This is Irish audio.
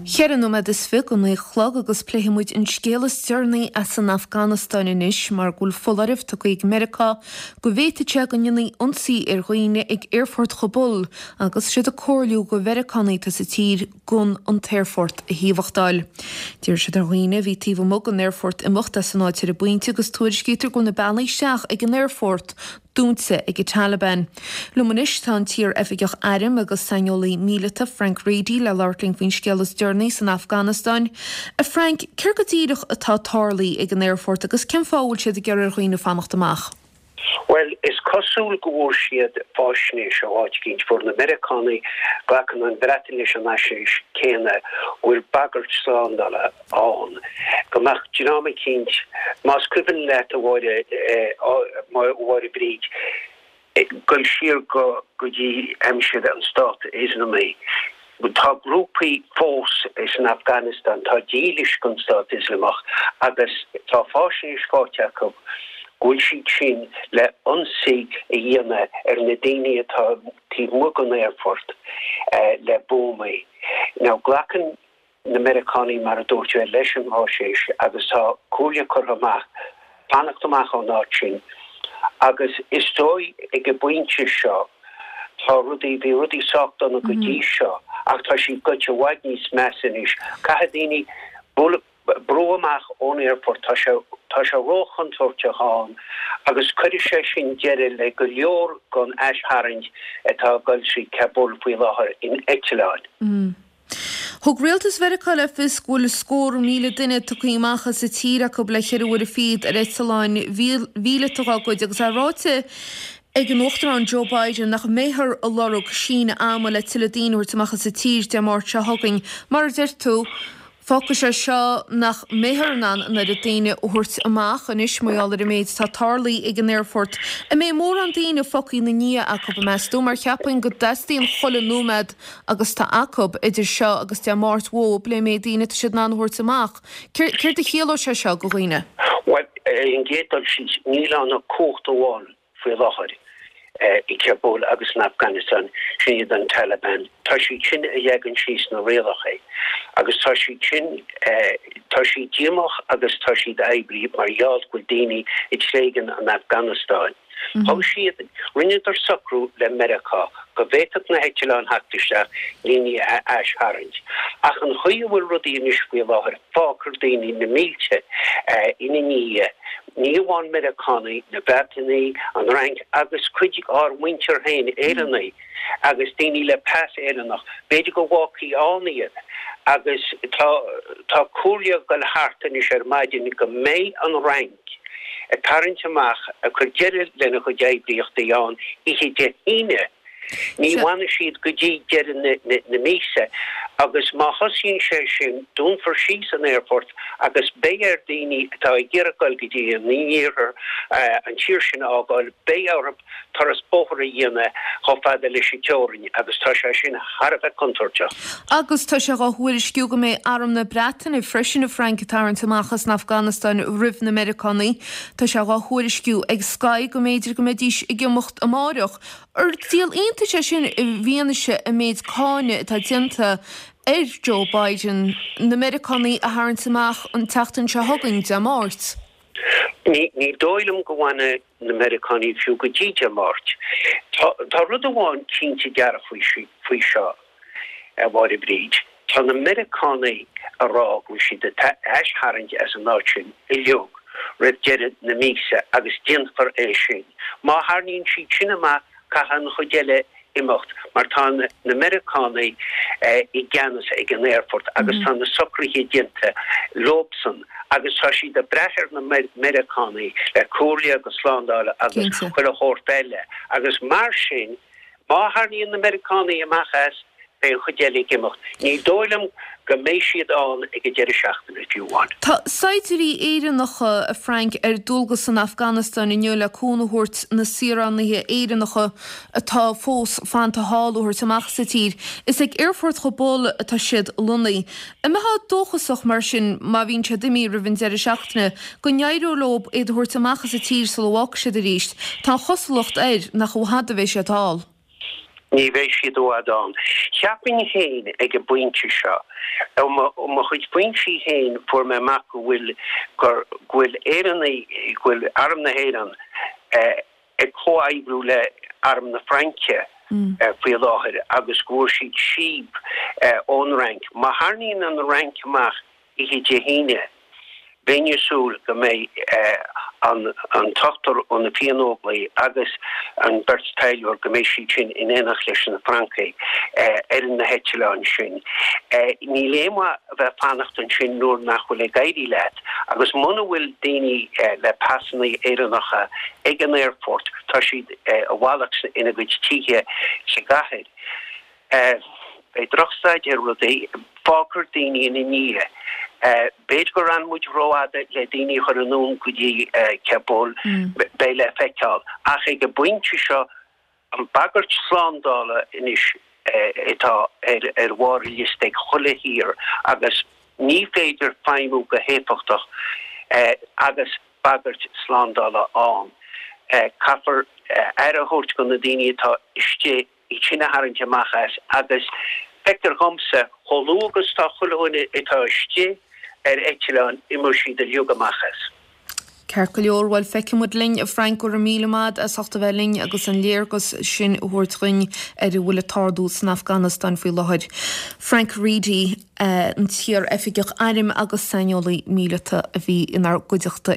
Cheithre nóiméad is fi go 9 a chlog agus pléifidh muid an scéal is deireanaí as an Afganastáin anois mar go bhfuil foláireamh tugtha ag Meiriceá go bhféadfadh sé go ndéanfaí ionsaí ar dhaoine ag aerfort Chabul agus siad ag comhairliú go Mheiriceánaigh atá sa tír gan an t-aerfort a thaobhachtáil. D'iarr siad ar dhaoine a bhí taobh amuigh den aerfort imeacht as an áit ar an bpointe agus tuairiscítear go bhfuil na bealaí isteach ag an aerfort dúnta ag an Taliban. Liom anois tá an t-iar-oifigeach airm agus saineolaí míleata Frank Reidy le labhairt linn faoin scéal is deireanaí san Afganastáin. A Frank, céard go díreach atá tarlaithe ag an aerfort agus cén fáth a bhfuil siad ag iarraidh ar dhaoine fanacht amach? Bhuel, is cosúil go bhfuair siad fáisnéis ó áit eicínt. Fuair na Meiriceánaigh, glacann an Bhreatain leis an fhaisnéis céanna, go bhfuil bagairt slándála ann go mbeadh dream eicínt, más cuimhin leat, a Mháire, a Mháire Bríd, dul siar go go dtí aimsir an Stát Ioslamaigh, tá grúpaí fós san Afganastáin atá dílis don Stát Ioslamach agus tá fáisnéis faighte acu go bhfuil siad sin le ionsaí a dhéanamh ar na daoine atá taobh amuigh den aerfort le buamaí. Now glacann na Meiriceánaigh, mar a dúirt mé, leis an bhfaisnéis agus tá comhairle curtha amach fanacht amach ón áit sin agus is dóigh ag an bpointe seo tá rudaí, bhí rudaí sách dona go dtí seo ach tá siad goite i bhfad níos measa anois. Caithfidh daoine bualadh, brú amach ón aerfort, tá sé, tá sé róchontúirteach ann agus cuirfidh sé sin deireadh le go leor den aistharraingt atá ag dul trí Kabul faoi láthair in eitleáin. Thug rialtas Mheiriceá le fios go bhfuil scór 1,000 duine tugtha amach as an tír acu le cheithre uaire fichead ar eitleáin mhíleata dá gcuid agus é ráite ag an Uachtarán Joe Biden nach mbeifear ag lorg síneadh ama le tuilleadh daoine a thabhairt amach as an tír Dé Máirt seo chugainn. Mar a deir tú, Fágfaidh sé seo nach mbeifear in ann an oiread daoine a thabhairt amach anois mar gheall ar an méid atá tarlaithe ag an aerfort. An mbeidh mórán daoine fágtha ina ndiaidh acu, meas tú? Mar cheapfainn go dteastaíonn chuile nóiméad agus tá acu idir seo agus Dé Máirt uathu le méid daoine atá siad in ann a thabhairt amach. Céard a chiallóidh sé seo go dhaoine? Bhuel, ar an gcéad dul síos, níl ann ach cumhacht amháin faoi láthair i Kabul agus san Afganastáin, sin iad an Taliban. Tá siad sin a leagann síos na rialacha agus tá siad sin, tá siad díomách agus tá siad ag oibriú mar gheall go bhfuil daoine ag tréigean an Afganastáin. Thug siad, rinneadar socrú le Meiriceá go bhféadfadh na heitleáin theacht isteach, daoine a aistharraingt. Ach an chaoi a bhfuil rudaí anois faoi láthair, fágfar daoine, na mílte, ina ndiaidh. Ní amháin Meiriceánaigh, na Breatanaigh, an Fhrainc agus cuid ár muintir féin, Éireannaigh agus daoine le pas Éireannach, b'fhéidir go bhfágfaí ann iad agus tá tá comhairle ag dul thart anois ar maidin go mbeidh an Fhrainc ag tarraingt amach, ag cur deireadh lena chuid oibríochtaí ann oíche Dé hAoine. Ní bhfanfaidh siad go dtí deireadh na míosa agus má thosaíonn sé sin, dúnfar síos an aerfort agus beidh ar daoine atá ag iarraidh dul go dtí an iarthar an tír sin a fhágáil, beidh orthu turas bóthair a dhéanamh chomh fada leis an teorainn agus tá sé sin thar a bheith contúirteach. Agus tá sé dhá thuairisciú go mbeidh arm na Breataine freisin, a Frank, ag tarraingt amach as an Afganastáin roimh na Meiriceánaigh. Tá sé dhá thuairisciú ag Sky go mb'fhéidir go mbeidís ag imeacht amáireach. Ar díol iontais é sin i bhfianaise an méid cáineadh atá déanta ar Joe Biden na Meiriceánaigh a tharraingt amach an tseachtain seo chugainn, Dé Máirt? Ní dóigh liom go bhfanfaidh na Meiriceánaigh fiú go dtí Dé Máirt. Tá rud amháin cinnte dearfach faoi seo, a Mháire Bríd, tá na Meiriceánaigh a rá go bhfuil siad ag aistharraingt as an áit sin uilig roimh deireadh na míosa agus déanfar é sin. Má tharraingíonn siad sin amach caithfidh an chuid eile imeacht mar tá na Meiriceánaigh i gceannas ag an aerfort agus tá na socruithe déanta leobsan agus tá siad ag brath ar na Meiriceánaigh le comhairle agus slándáil agus chuile shórt eile agus mar sin Má tharraingíonn na Meiriceánaigh amach as, beidh an chuid eile ag imeacht. Ní dóigh liom go mbeidh siad ann ag an deireadh seachtaine, fiú amháin. Tá saighdiúirí Éireannacha, a Frank, ar dualgas san Afganastáin inniu le cúnamh a thabhairt na saoránaithe Éireannacha atá fós fanta thall a thabhairt amach as an tír. Is ag Aerfort Chabul atá siad lonnaithe. An mbeifeá dóchasach, mar sin, má bhíonn siad imithe roimh an deireadh seachtaine, go n-éireoidh leo iad a thabhairt amach as an tír sula bhfágfaidh siad arís? Tá an chosúlacht air nach i bhfad a bheidh siad thall. Ní bheidh siad i bhfad ann. Cheapfainn féin ag an bpointe seo, ó mo chuid foinsí féin fuair mé amach go bhfuil, gur, go bhfuil Éireannaigh, go bhfuil Arm na hÉireann ag comhoibriú le Arm na Fraince faoi láthair agus go bhfuair siad síob ón Fhrainc. Má tharraingíonn an Fhrainc amach Oíche Dé hAoine, bheinn ag súil go mbeidh an t-ochtar ó na Fiannóglaigh agus an bheirt taidhleoir, go mbeidh siad sin in éineacht leis na Francaigh ar na heitleáin sin. Níl aon mhaith a bheith fanacht ansin nuair nach bhfuil ag éirí leat agus muna bhfuil daoine le pasanna Éireannacha ag an aerfort, tá siad i bhfalach ina gcuid tithe sa gcathair. Beidh drochstaid ar rudaí. Fágfar daoine ina ndiaidh. B'fhéidir gur fhan muid rófhada le daoine a chur anonn go dtí Kabul. Beidh le feiceáil. Ach ag an bpointe seo, an bhagairt slándála anois atá ar bharr an liosta ag chuile thír agus ní féidir feidhmiú go héifeachtach agus bagairt slándála ann. Caithfear aire a thabhairt do na daoine atá istigh iad sin a tharraingt amach as agus feictear dhomsa, chomh luath agus atá chuile dhuine atá istigh ar eitleán, imeoidh siad uilig amach as. Ceart go leor, bhuel feicfidh muid linn, a Frank, go raibh míle maith as ucht a bheith linn agus an léargas sin a thabhairt dhuinn ar a bhfuil ag tarlú san Afganastáin faoi láthair. Frank Reidy, an t-iar-oifigeach airm agus saineolaí míleata a bhí inár gcuideachta.